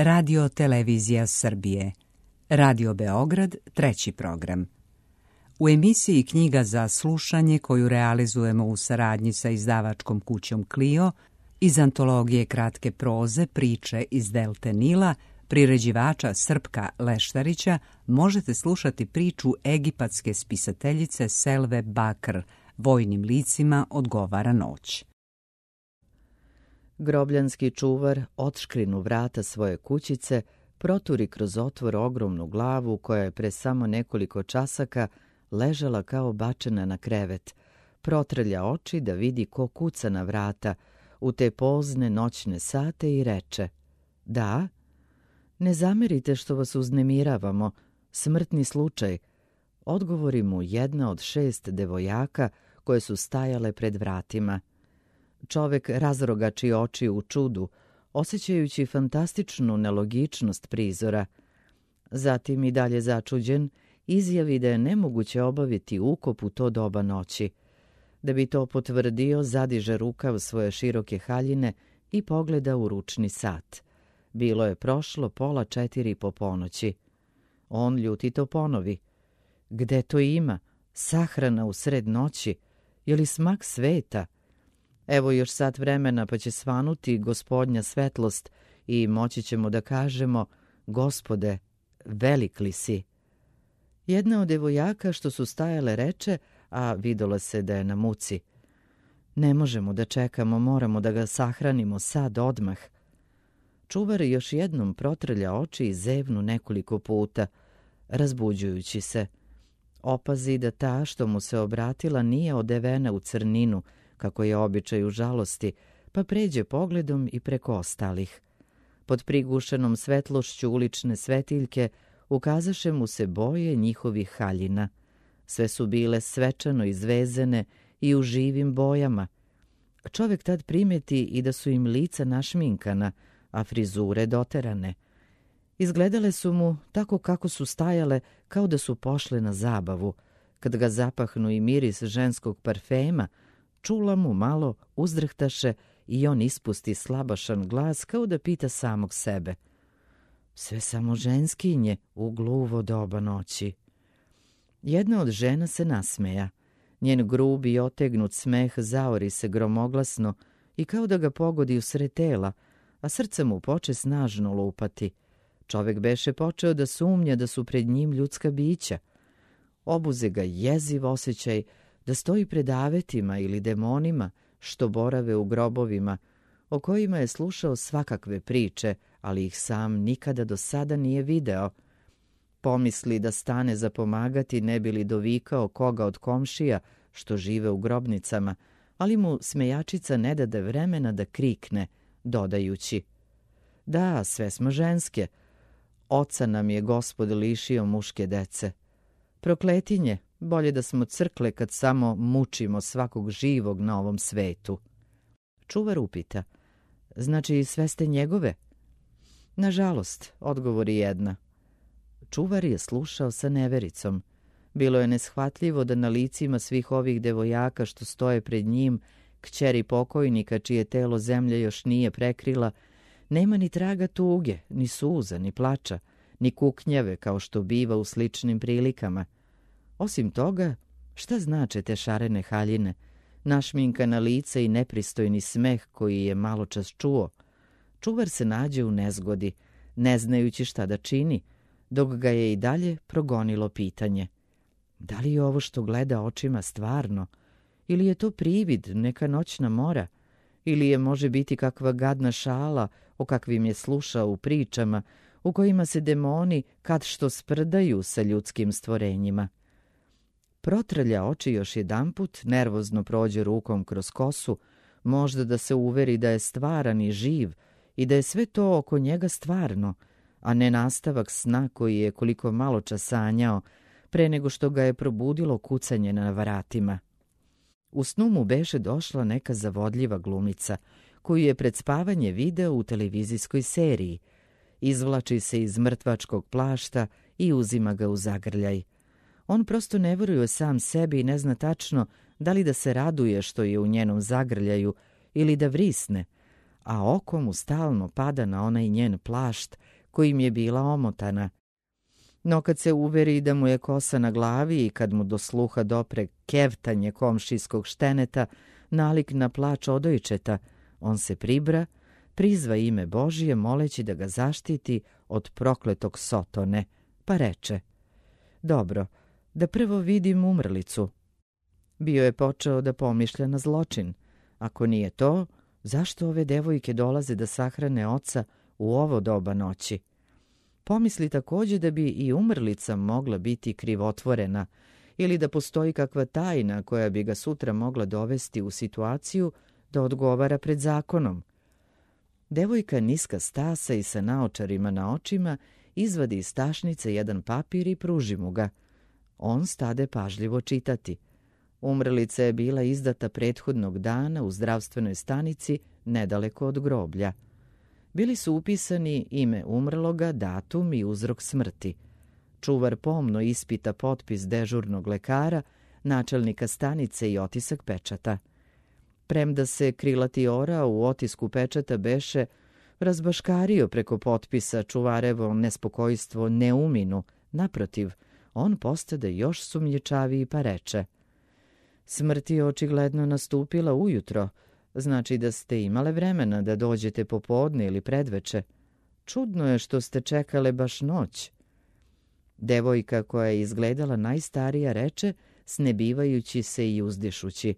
Radio Televizija Srbije, Radio Beograd, 3. program. U emisiji Knjiga za slušanje, koju realizujemo u saradnji sa izdavačkom kućom Clio, iz antologije kratke proze Priče iz Delte Nila, priređivača Srpka Leštarića, možete slušati priču egipatske spisateljice Selve Bakr, Vojnim licima odgovara noć. Grobljanski čuvar otškrinu vrata svoje kućice, proturi kroz otvor ogromnu glavu koja je pre samo nekoliko časaka ležala kao bačena na krevet, protrlja oči da vidi ko kuca na vrata u te pozne noćne sate i reče: "Da, ne zamerite što vas uznemiravamo, smrtni slučaj", odgovori mu jedna od 6 devojaka koje su stajale pred vratima. Čovek razrogači oči u čudu, osjećajući fantastičnu nelogičnost prizora. Zatim, i dalje začuđen, izjavi da je nemoguće obaviti ukop u to doba noći. Da bi to potvrdio, zadiže rukav svoje široke haljine i pogleda u ručni sat. Bilo je prošlo 3:30 po ponoći. On ljutito ponovi: "Gde to ima? Sahrana u sred noći? Je li smak sveta? Evo još sat vremena pa će svanuti gospodnja svetlost i moći ćemo da kažemo: Gospode, velik li si?" Jedna od devojaka što su stajale reče, a vidjelo se da je na muci: "Ne možemo da čekamo, moramo da ga sahranimo sad odmah." Čuvar još jednom protrlja oči i zevnu nekoliko puta, razbuđujući se. Opazi da ta što mu se obratila nije odevena u crninu, kako je običaj u žalosti, pa pređe pogledom i preko ostalih. Pod prigušenom svetlošću ulične svetiljke ukazaše mu se boje njihovih haljina. Sve su bile svečano izvezene i u živim bojama. Čovek tad primeti i da su im lica našminkana, a frizure doterane. Izgledale su mu tako kako su stajale, kao da su pošle na zabavu. Kad ga zapahnu i miris ženskog parfema, čula mu malo uzdrhtaše i on ispusti slabašan glas kao da pita samog sebe: "Sve samo ženskinje u gluvo doba noći." Jedna od žena se nasmeja. Njen grubi i otegnut smeh zaori se gromoglasno i kao da ga pogodi u sred tela, a srce mu poče snažno lupati. Čovek beše počeo da sumnja da su pred njim ljudska bića. Obuze ga jeziv osjećaj da stoji pred avetima ili demonima što borave u grobovima, o kojima je slušao svakakve priče, ali ih sam nikada do sada nije video. Pomisli da stane za pomagati, ne bi li dovikao koga od komšija što žive u grobnicama, ali mu smejačica ne dade vremena da krikne, dodajući: "Da, sve smo ženske. Oca nam je Gospod lišio muške dece. Prokletinje, bolje da smo crkle kad samo mučimo svakog živog na ovom svetu." Čuvar upita: "Znači, sve ste njegove?" "Nažalost", odgovori jedna. Čuvar je slušao sa nevericom. Bilo je neshvatljivo da na licima svih ovih devojaka što stoje pred njim, kćeri pokojnika čije telo zemlja još nije prekrila, nema ni traga tuge, ni suza, ni plača, ni kuknjave kao što biva u sličnim prilikama. Osim toga, šta znače te šarene haljine, našminkana lica i nepristojni smeh koji je maločas čuo? Čuvar se nađe u nezgodi, ne znajući šta da čini, dok ga je i dalje progonilo pitanje: da li je ovo što gleda očima stvarno, ili je to privid, neka noćna mora, ili je može biti kakva gadna šala o kakvim je slušao u pričama, u kojima se demoni kad što sprdaju sa ljudskim stvorenjima. Protrlja oči još jedanput, nervozno prođe rukom kroz kosu, možda da se uveri da je stvaran i živ i da je sve to oko njega stvarno, a ne nastavak sna koji je koliko malo čas sanjao pre nego što ga je probudilo kucanje na vratima. U snu mu beše došla neka zavodljiva glumica, koju je pred spavanje video u televizijskoj seriji. Izvlači se iz mrtvačkog plašta i uzima ga u zagrljaj. On prosto ne veruje sam sebi i ne zna tačno da li da se raduje što je u njenom zagrljaju ili da vrisne, a oko mu stalno pada na onaj njen plašt kojim je bila omotana. No kad se uveri da mu je kosa na glavi i kad mu do sluha dopre kevtanje komšijskog šteneta, nalik na plač odojčeta, on se pribra, prizva ime Božije moleći da ga zaštiti od prokletog Sotone, pa reče: dobro, da prvo vidim umrlicu. Bio je počeo da pomišlja na zločin. Ako nije to, zašto ove devojke dolaze da sahrane oca u ovo doba noći? Pomisli takođe da bi i umrlica mogla biti krivotvorena ili da postoji kakva tajna koja bi ga sutra mogla dovesti u situaciju da odgovara pred zakonom. Devojka niska stasa i sa naočarima na očima izvadi iz tašnice jedan papir i pruži mu ga. On stade pažljivo čitati. Umrlica je bila izdata prethodnog dana u zdravstvenoj stanici nedaleko od groblja. Bili su upisani ime umrloga, datum i uzrok smrti. Čuvar pomno ispita potpis dežurnog lekara, načelnika stanice i otisak pečata. Premda se krilati ora u otisku pečata beše razbaškario preko potpisa, čuvarevo nespokojstvo ne uminu. Naprotiv, on postade još sumnjičaviji pa reče: smrt je očigledno nastupila ujutro, znači da ste imale vremena da dođete popodne ili predveče. Čudno je što ste čekale baš noć. Devojka koja je izgledala najstarija reče, snebivajući se i uzdišući: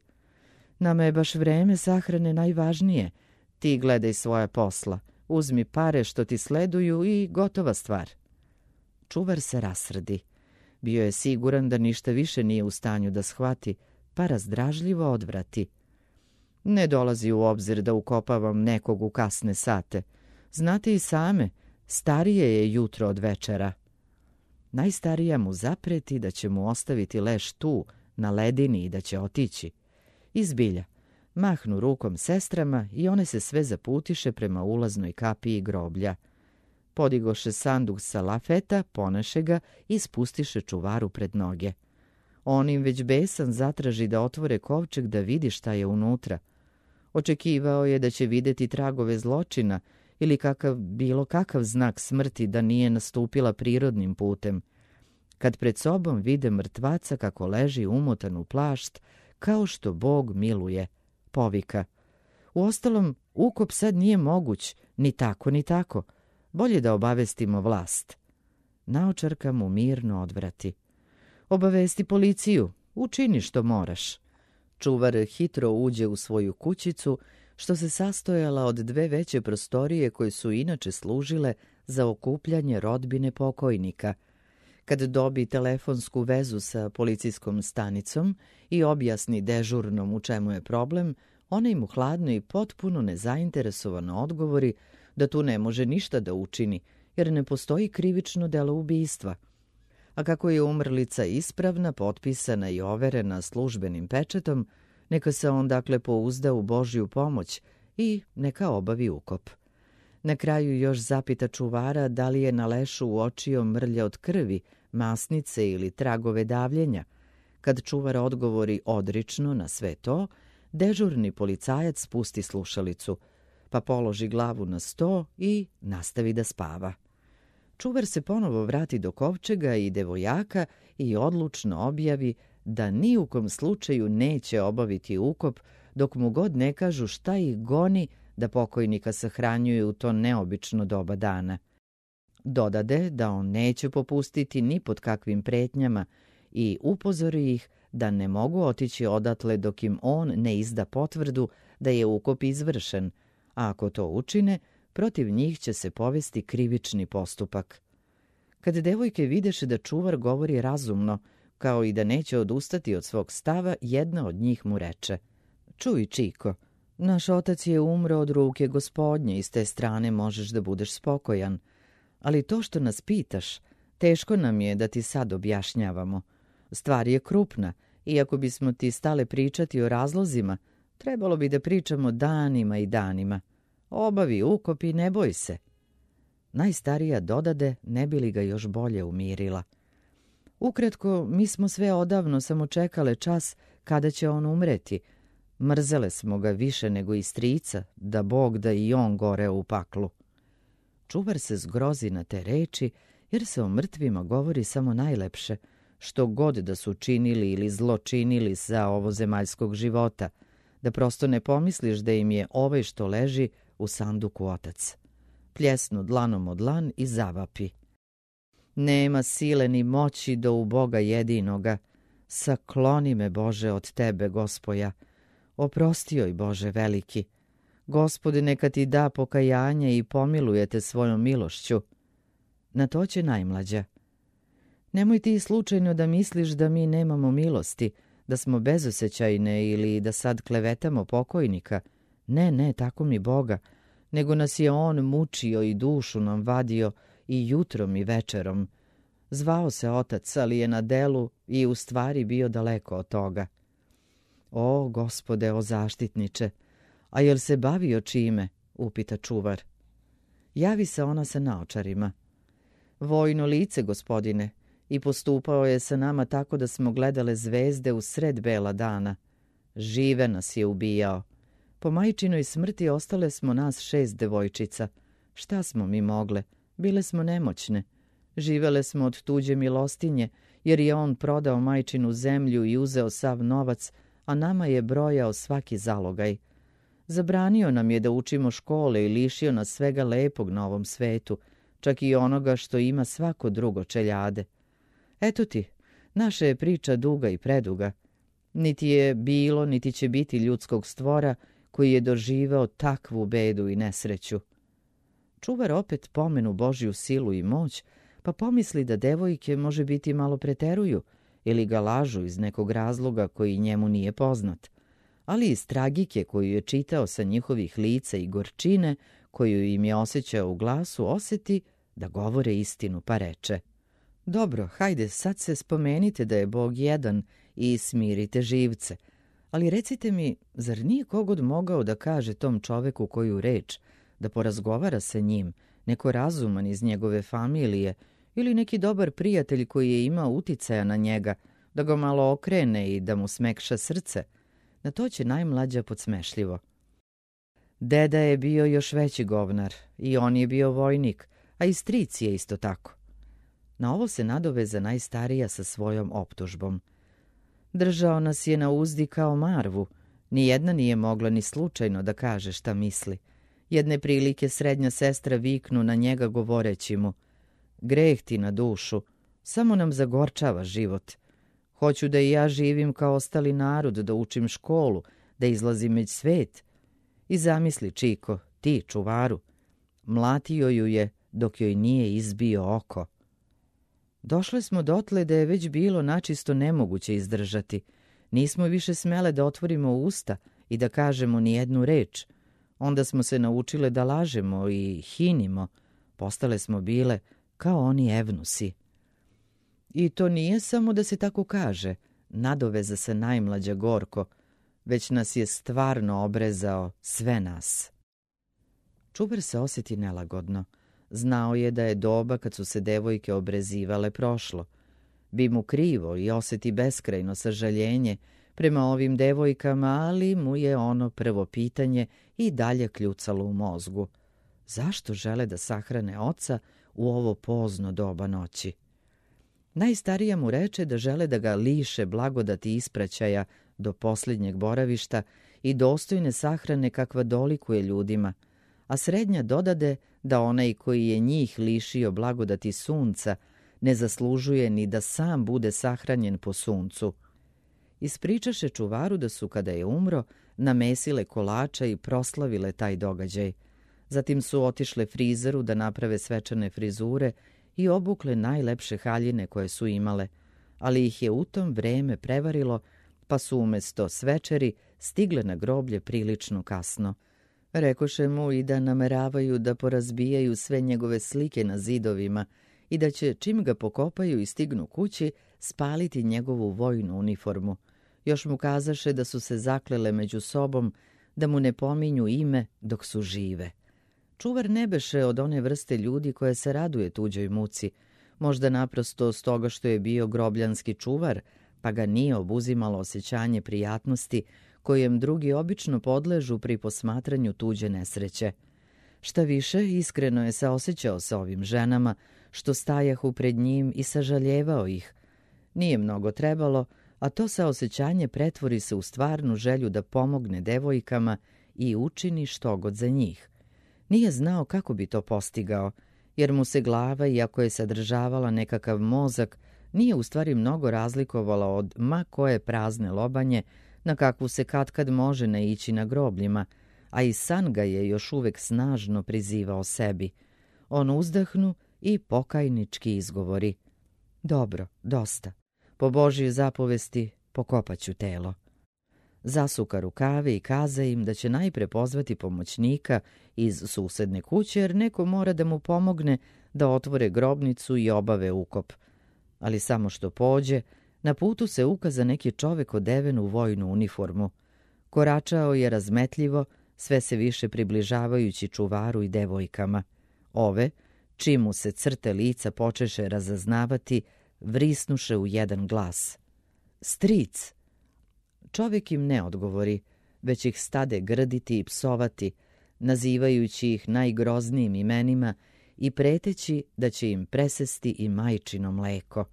nama je baš vreme sahrane najvažnije. Ti gledaj svoja posla, uzmi pare što ti sleduju i gotova stvar. Čuvar se rasrdi. Bio je siguran da ništa više nije u stanju da shvati, pa razdražljivo odvrati: ne dolazi u obzir da ukopavam nekog u kasne sate. Znate i same, starije je jutro od večera. Najstarija mu zapreti da će mu ostaviti leš tu, na ledini, i da će otići. Izbilja, mahnu rukom sestrama i one se sve zaputiše prema ulaznoj kapiji groblja. Podigoše sanduk sa lafeta, poneše ga i spustiše čuvaru pred noge. On im već besan zatraži da otvore kovčeg da vidi šta je unutra. Očekivao je da će videti tragove zločina ili bilo kakav znak smrti da nije nastupila prirodnim putem. Kad pred sobom vide mrtvaca kako leži umotan u plašt, kao što Bog miluje, povika: uostalom, ukop sad nije moguć, ni tako ni tako. Bolje da obavestimo vlast. Naočarka mu mirno odvrati: obavesti policiju, učini što moraš. Čuvar hitro uđe u svoju kućicu, što se sastojala od dve veće prostorije koje su inače služile za okupljanje rodbine pokojnika. Kad dobi telefonsku vezu sa policijskom stanicom i objasni dežurnom u čemu je problem, ona im hladno i potpuno nezainteresovano odgovori da tu ne može ništa da učini, jer ne postoji krivično delo ubistva. A kako je umrlica ispravna, potpisana i overena službenim pečetom, neka se on dakle pouzda u Božju pomoć i neka obavi ukop. Na kraju još zapita čuvara da li je na lešu uočio mrlja od krvi, masnice ili tragove davljenja. Kad čuvar odgovori odrično na sve to, dežurni policajac spusti slušalicu, pa položi glavu na sto i nastavi da spava. Čuvar se ponovo vrati do kovčega i devojaka i odlučno objavi da ni u kom slučaju neće obaviti ukop dok mu god ne kažu šta ih goni da pokojnika sahranjuju u to neobično doba dana. Dodade da on neće popustiti ni pod kakvim pretnjama i upozori ih da ne mogu otići odatle dok im on ne izda potvrdu da je ukop izvršen, a ako to učine, protiv njih će se povesti krivični postupak. Kad devojke videše da čuvar govori razumno, kao i da neće odustati od svog stava, jedna od njih mu reče: čuj, Čiko, naš otac je umro od ruke Gospodnje i s te strane možeš da budeš spokojan. Ali to što nas pitaš, teško nam je da ti sad objašnjavamo. Stvar je krupna i ako bismo ti stale pričati o razlozima, trebalo bi da pričamo danima i danima. Obavi ukop i ne boj se. Najstarija dodade, ne bi li ga još bolje umirila: ukratko, mi smo sve odavno samo čekale čas kada će on umreti. Mrzele smo ga više nego i strica, da Bog da i on goreo u paklu. Čuvar se zgrozi na te reči, jer se o mrtvima govori samo najlepše, što god da su činili ili zlo činili za ovozemaljskog života, da prosto ne pomisliš da im je ovaj što leži u sanduku otac. Pljesnu dlanom od dlan i zavapi. Nema sile ni moći do u Boga jedinoga. Sakloni me, Bože, od tebe, Gospoja. Oprosti joj, Bože veliki. Gospode, neka ti da pokajanje i pomilujete svojom milošću. Na to će najmlađa. Nemoj ti slučajno da misliš da mi nemamo milosti, da smo bezosećajne ili da sad klevetamo pokojnika. Ne, tako mi Boga, nego nas je on mučio i dušu nam vadio i jutrom i večerom. Zvao se otac, ali je na delu i u stvari bio daleko od toga. O, Gospode, o zaštitniče, a jel se bavio čime? Upita čuvar. Javi se ona sa naočarima. Vojno lice, gospodine, i postupao je sa nama tako da smo gledale zvezde u sred bela dana. Žive nas je ubijao. Po majčinoj smrti ostale smo nas 6 devojčica. Šta smo mi mogle? Bile smo nemoćne. Živele smo od tuđe milostinje, jer je on prodao majčinu zemlju i uzeo sav novac, a nama je brojao svaki zalogaj. Zabranio nam je da učimo škole i lišio nas svega lepog na ovom svetu, čak i onoga što ima svako drugo čeljade. Eto ti, naša je priča duga i preduga. Niti je bilo, niti će biti ljudskog stvora koji je doživeo takvu bedu i nesreću. Čuvar opet pomenu Božju silu i moć, pa pomisli da devojke može biti malo preteruju ili ga lažu iz nekog razloga koji njemu nije poznat. Ali iz tragike koju je čitao sa njihovih lica i gorčine koju im je osjećao u glasu, osjeti da govore istinu, pa reče: Dobro, hajde, sad se spomenite da je Bog jedan i smirite živce. Ali recite mi, zar nije kogod mogao da kaže tom čoveku koju reč, da porazgovara sa njim, neko razuman iz njegove familije ili neki dobar prijatelj koji je imao uticaja na njega, da ga malo okrene i da mu smekša srce? Na to će najmlađa podsmešljivo. Deda je bio još veći govnar i on je bio vojnik, a i stric je isto tako. Na ovo se nadoveza najstarija sa svojom optužbom. Držao nas je na uzdi kao marvu, nijedna nije mogla ni slučajno da kaže šta misli. Jedne prilike srednja sestra viknu na njega govoreći mu: Greh ti na dušu, samo nam zagorčava život. Hoću da i ja živim kao ostali narod, da učim školu, da izlazim među svet. I zamisli, Čiko, ti, čuvaru, mlatio ju je dok joj nije izbio oko. Došle smo dotle da je već bilo načisto nemoguće izdržati. Nismo više smele da otvorimo usta i da kažemo ni jednu reč. Onda smo se naučile da lažemo i hinimo. Postale smo bile kao oni evnusi. I to nije samo da se tako kaže, nadoveza se najmlađa gorko, već nas je stvarno obrezao, sve nas. Čuvar se osjeti nelagodno. Znao je da je doba kad su se devojke obrezivale prošlo. Bi mu krivo i osjeti beskrajno sažaljenje prema ovim devojkama, ali mu je ono prvo pitanje i dalje kljucalo u mozgu. Zašto žele da sahrane oca u ovo pozno doba noći? Najstarija mu reče da žele da ga liše blagodati ispraćaja do posljednjeg boravišta i dostojne sahrane kakva dolikuje ljudima, a srednja dodade da onaj koji je njih lišio blagodati sunca ne zaslužuje ni da sam bude sahranjen po suncu. Ispričaše čuvaru da su, kada je umro, namesile kolača i proslavile taj događaj. Zatim su otišle frizeru da naprave svečane frizure i obukle najlepše haljine koje su imale, ali ih je u tom vreme prevarilo, pa su umjesto svečeri stigle na groblje prilično kasno. Rekoše mu i da nameravaju da porazbijaju sve njegove slike na zidovima i da će, čim ga pokopaju i stignu kući, spaliti njegovu vojnu uniformu. Još mu kazaše da su se zaklele među sobom da mu ne pominju ime dok su žive. Čuvar ne beše od one vrste ljudi koje se raduje tuđoj muci, možda naprosto s toga što je bio grobljanski čuvar, pa ga nije obuzimalo osjećanje prijatnosti kojem drugi obično podležu pri posmatranju tuđe nesreće. Šta više, iskreno je saosećao sa ovim ženama, što stajahu pred njim i sažaljevao ih. Nije mnogo trebalo, a to saosećanje pretvori se u stvarnu želju da pomogne devojkama i učini štogod za njih. Nije znao kako bi to postigao, jer mu se glava, iako je sadržavala nekakav mozak, nije u stvari mnogo razlikovala od ma koje prazne lobanje na kakvu se katkad može naići na grobljima, a i san ga je još uvek snažno prizivao sebi. On uzdahnu i pokajnički izgovori: dobro, dosta. Po Božjoj zapovesti pokopaću telo. Zasuka rukave i kaza im da će najpre pozvati pomoćnika iz susedne kuće, jer neko mora da mu pomogne da otvore grobnicu i obave ukop. Ali samo što pođe, na putu se ukaza neki čovek odeven u vojnu uniformu. Koračao je razmetljivo, sve se više približavajući čuvaru i devojkama. Ove, čim mu se crte lica počeše razaznavati, vrisnuše u jedan glas: stric! Čovjek im ne odgovori, već ih stade grditi i psovati, nazivajući ih najgroznijim imenima i preteći da će im presesti i majčino mleko.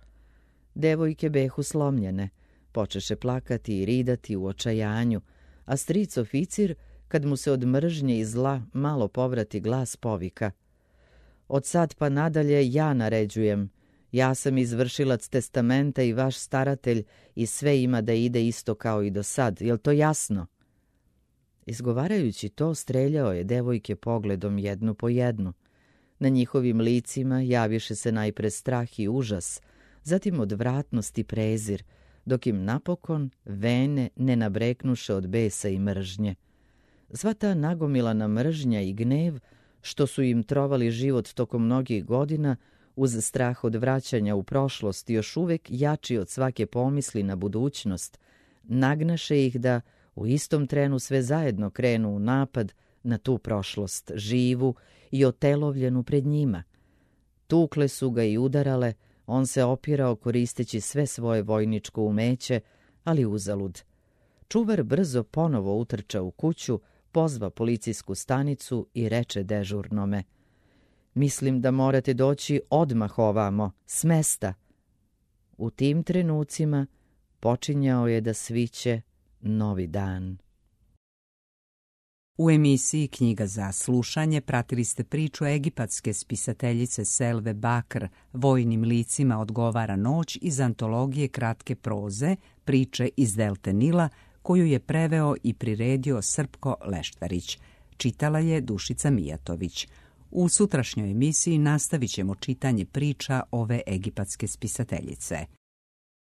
Devojke behu slomljene, počeše plakati i ridati u očajanju, a stric oficir, kad mu se od mržnje i zla malo povrati glas, povika: od sad pa nadalje ja naređujem. Ja sam izvršilac testamenta i vaš staratelj i sve ima da ide isto kao i do sad. Jel to jasno? Izgovarajući to, streljao je devojke pogledom jednu po jednu. Na njihovim licima javiše se najpre strah i užas, zatim odvratnost i prezir, dok im napokon vene ne nabreknuše od besa i mržnje. Sva ta nagomilana mržnja i gnev, što su im trovali život tokom mnogih godina, uz strah od vraćanja u prošlost, još uvek jači od svake pomisli na budućnost, nagnaše ih da u istom trenu sve zajedno krenu u napad na tu prošlost, živu i otelovljenu pred njima. Tukle su ga i udarale, on se opirao koristeći sve svoje vojničko umeće, ali uzalud. Čuvar brzo ponovo utrča u kuću, pozva policijsku stanicu i reče dežurnome: mislim da morate doći odmah ovamo, s mesta. U tim trenucima počinjao je da sviće novi dan. U emisiji Knjiga za slušanje pratili ste priču egipatske spisateljice Selve Bakr Vojnim licima odgovara noć iz antologije kratke proze Priče iz delte Nila, koju je preveo i priredio Srpko Leštarić. Čitala je Dušica Mijatović. U sutrašnjoj emisiji nastavit ćemo čitanje priča ove egipatske spisateljice.